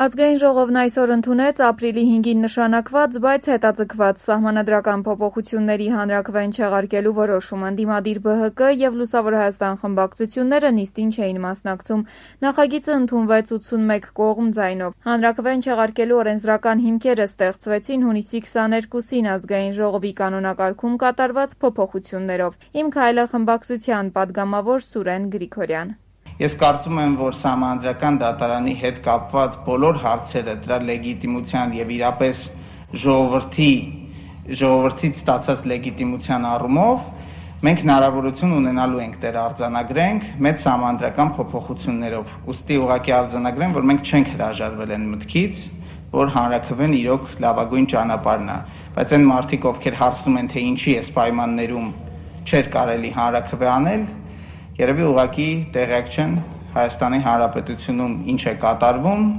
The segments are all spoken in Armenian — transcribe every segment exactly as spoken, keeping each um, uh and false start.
Ազգային ժողովն այսօր ընդունեց ապրիլի հինգին նշանակված, բայց հետաձգված սահմանադրական փոփոխությունների հանրաքվեն չեղարկելու որոշումը։ Ընդդիմադիր Բ Հ Կ և Լուսավոր Հայաստան խմբակցությունները նիստին չէին մասնակցում։ Նախագիծը ընդունվեց ութսունմեկ կողմ ձայնով։ Հանրաքվեն չեղարկելու օրենսդրական հիմքերը ստեղծվեցին հունիսի քսաներկուսին Ազգային ժողովի կանոնակարգում կատարված փոփոխություններով։ Իմ քայլը խմբակցության падգամավոր Սուրեն Գրիգորյան։ Ես կարծում եմ, որ Սահմանադրական դատարանի հետ կապված բոլոր հարցերը դրա լեգիտիմության եւ իրապես ժողովրդի ժողովրդից ստացած լեգիտիմության առումով մենք հնարավորություն ունենալու ենք դեր արձանագրենք մեծ սահմանադրական փոփոխություններով։ Ուստի ուղղակի արձանագրեմ, որ մենք չենք հրաժարվել այն մտքից, որ հանրաքվեն իրոք լավագույն ճանապարհն է, բայց այն մարդիկ, ովքեր հարցնում են, թե ինչի այս պայմաններում չէր կարելի հանրաքվե անել, երևի ուղղակի տեղյակ չեն Հայաստանի Հանրապետությունում ինչ է կատարվում։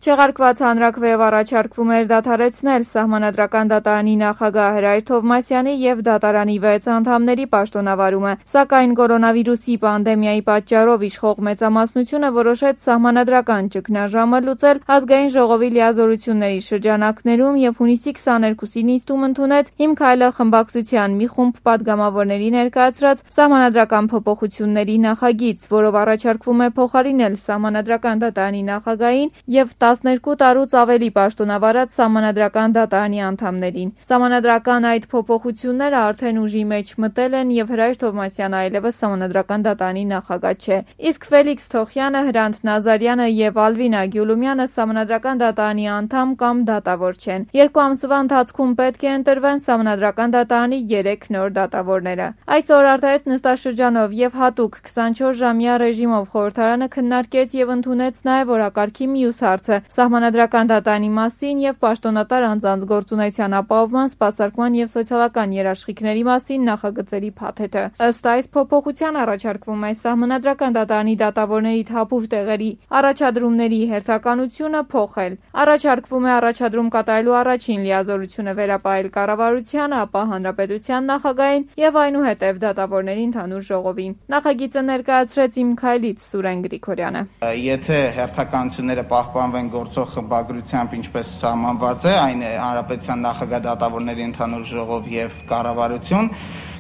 Չեղարկված հանրաքվեով առաջարկվում էր դադարեցնել Սահմանադրական դատարանի նախագահ Հրայր Թովմասյանի և դատարանի վեց անդամների պաշտոնավարումը, սակայն կորոնավիրուսի պանդեմիայի պատճառով իշխող մեծամասնությունը որոշեց սահմանադրական ճգնաժամը լուծել Ազգային ժողովի լիազորությունների շրջանակներում և հունիսի քսաներկուսի նիստում ընդունեց «Իմ քայլը» խմբակցության մի խումբ падգամավորների ներկայացրած սահմանադրական փոփոխությունների նախագիծ, որով առաջարկվում է փոխարինել Սահմանադրական դատարանի նախագահին և տասներկու տարուց ավելի պաշտոնավարած Սահմանադրական դատարանի անդամներին։ Սահմանադրական այդ փոփոխությունները արդեն ուժի մեջ մտել են և Հրայր Թովմասյանը այլևս Սահմանադրական դատարանի նախագահ չէ։ Իսկ Ֆելիքս Թոխյանը, Հրանտ Նազարյանը և Ալվինա Գյուլումյանը Սահմանադրական դատարանի անդամ կամ դատավոր չեն։ Երկու ամսվա ընթացքում պետք է ընտրվեն Սահմանադրական դատարանի երեք նոր դատավորները։ Այսօր արտահերթ նստաշրջանով և հատուկ քսանչորս ժամյա ռեժիմով խորհրդարանը քննարկեց և ընդունեց նաև օրակարգի մյուս հարցը՝ Սահմանադրական դատարանի մասին և պաշտոնատար անձանց գործունեության ապահովման, սպասարկման և սոցիալական երաշխիքների մասին նախագծերի փաթեթը։ Ըստ այս փոփոխության առաջարկվում է Սահմանադրական դատարանի դատավորների թափուր տեղերի առաջադրումների հերթականությունը փոխել։ Առաջարկվում է առաջադրում կատարելու առաջին լիազորությունը վերապահել կառավարությանը, ապա Հանրապետության նախագահին և այնուհետև դատավորների ընդհանուր ժողովին։ Նախագիծը ներկայացրեց «Իմ քայլից» Սուրեն Գրիգորյանը։ Եթե հերթականությունները պահպանվեն գործող խմբագրությամբ, ինչպես սահմանված է, այն է Հանրապետության նախագահ, դատավորների ընդհանուր ժողով եւ կառավարություն,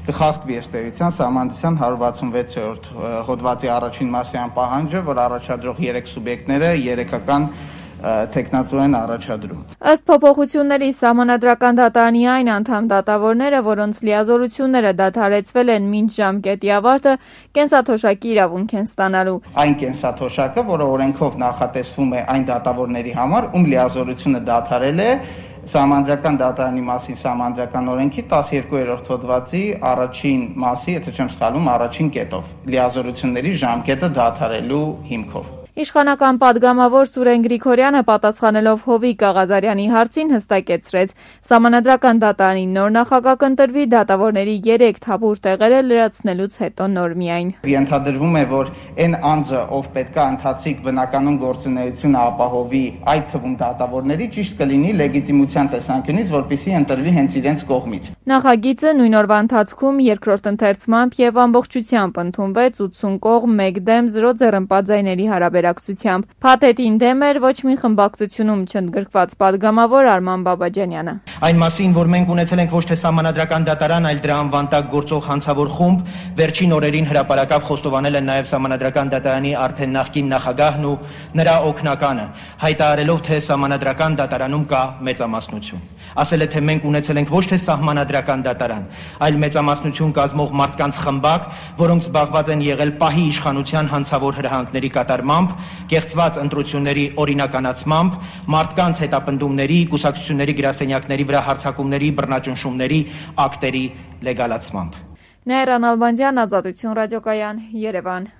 կխախտվի ըստ էության Սահմանադրության հարյուր վաթսունվեցերորդ հոդվածի առաջին մասյան պահանջը, որ առաջադրող երեք սուբյեկտները երեքական թեկնածու են առաջադրում։ Ըստ փոփոխությունների Սահմանադրական դատարանի այն անդամ դատավորները, որոնց լիազորությունները դադարեցվել են մինչ ժամկետի ավարտը, կենսաթոշակի իրավունք են ստանալու։ Այն կենսաթոշակը, որը օրենքով նախատեսվում է այն դատավորների համար, ում լիազորությունը դադարել է Սահմանադրական դատարանի մասին Սահմանադրական օրենքի տասներկուերորդ հոդվածի առաջին մասի, եթե չեմ սխալվում, առաջին կետով, լիազորությունների ժամկետը դադարելու հիմքով։ Իշխանական падգամավոր Սուրեն Գրիգորյանը պատասխանելով Հովիկ Աղազարյանի հարցին հստակեցրեց. Սահմանադրական դատարանի նոր նախագահ կընտրվի դատավորների երեք թափուր տեղերը լրացնելուց հետո նոր միայն։ Ենթադրվում է, որ այն անձը, ով պետք է ընթացիկ բնականոն գործունեությունը ապահովի, այդ թվում դատավորների, ճիշտ կլինի լեգիտիմության տեսանկյունից, որպեսզի ընտրվի հենց իրենց կողմից։ Նախագիծը նույն օրվա ընթացքում երկրորդ ընթերցմամբ և ամբողջությամբ ընդունվեց ութսուն կողմ մեկ դեմ զրո ձեռնպատ ձայների հարաբերակցությամբ։ Փաթեթին դեմ էր ոչ մի խմբակցությունում չընդգրկված падգամավոր Արման Բաբաջանյանը։ Այն մասին, որ մենք ունեցել ենք ոչ թե Սահմանադրական դատարան, այլ դրա անվան տակ գործող հանցավոր խումբ, վերջին օրերին հրապարակավ խոստովանել են նաև Սահմանադրական դատարանի արդեն նախկին նախագահն ու նրա օգնականը, հայտարարելով, թե Սահմանադրական դատարանում կա մեծամասնություն։ Ասել է, թե մենք ունեցել ենք ոչ թե Սահմանադրական դատարան, այլ մեծամասնություն կազմող մարդկանց խմբակ, որոնք զբաղված են եղել պահի իշխանության հանցավոր հրահանգների կատարմամբ, կեղծված ընտրությունների օրինականացմամբ, մարդկանց հետապնդումների, կուսակցությունների գրասենյակների վրա հարձակումների, բռնաճնշումների ակտերի լեգալացմամբ։ Նաիրա Նալբանդյան, Ազատություն ռադիոկայան, Երևան։